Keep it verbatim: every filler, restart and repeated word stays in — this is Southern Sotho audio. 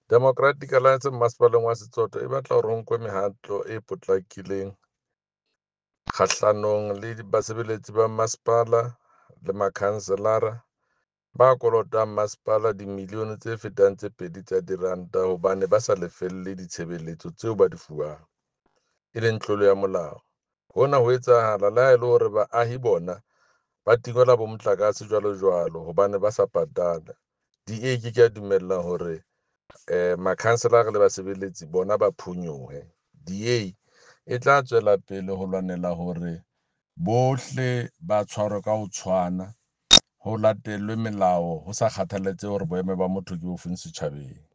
Democratic Alliance Mmasepaleng wa Setsoto e batla hore ho nkwe mehato e potlakileng kgahlanong le basebeletsi ba masepala le makhanselara ba kolotang masepala dimilione tse fetang tse pedi tsa diranta hobane ba sa lefelle ditshebeletso tseo ba di fuwang, e leng tlolo ya molao. Hona ho etsahala le ha e le hore baahi bona ba tingwela bo motlakase jwalo jwalo hobane ba sa patala. D A e ke ke ya dumella hore makhanselara le basebeletsi bona ba phonyohe. D A e tla tswela pele ho lwanela hore bohle ba tshwarwe ka ho tshwana, ho latellwe melao ho sa kgathalatsehe hore boemo ba motho ke bofeng setjhabeng.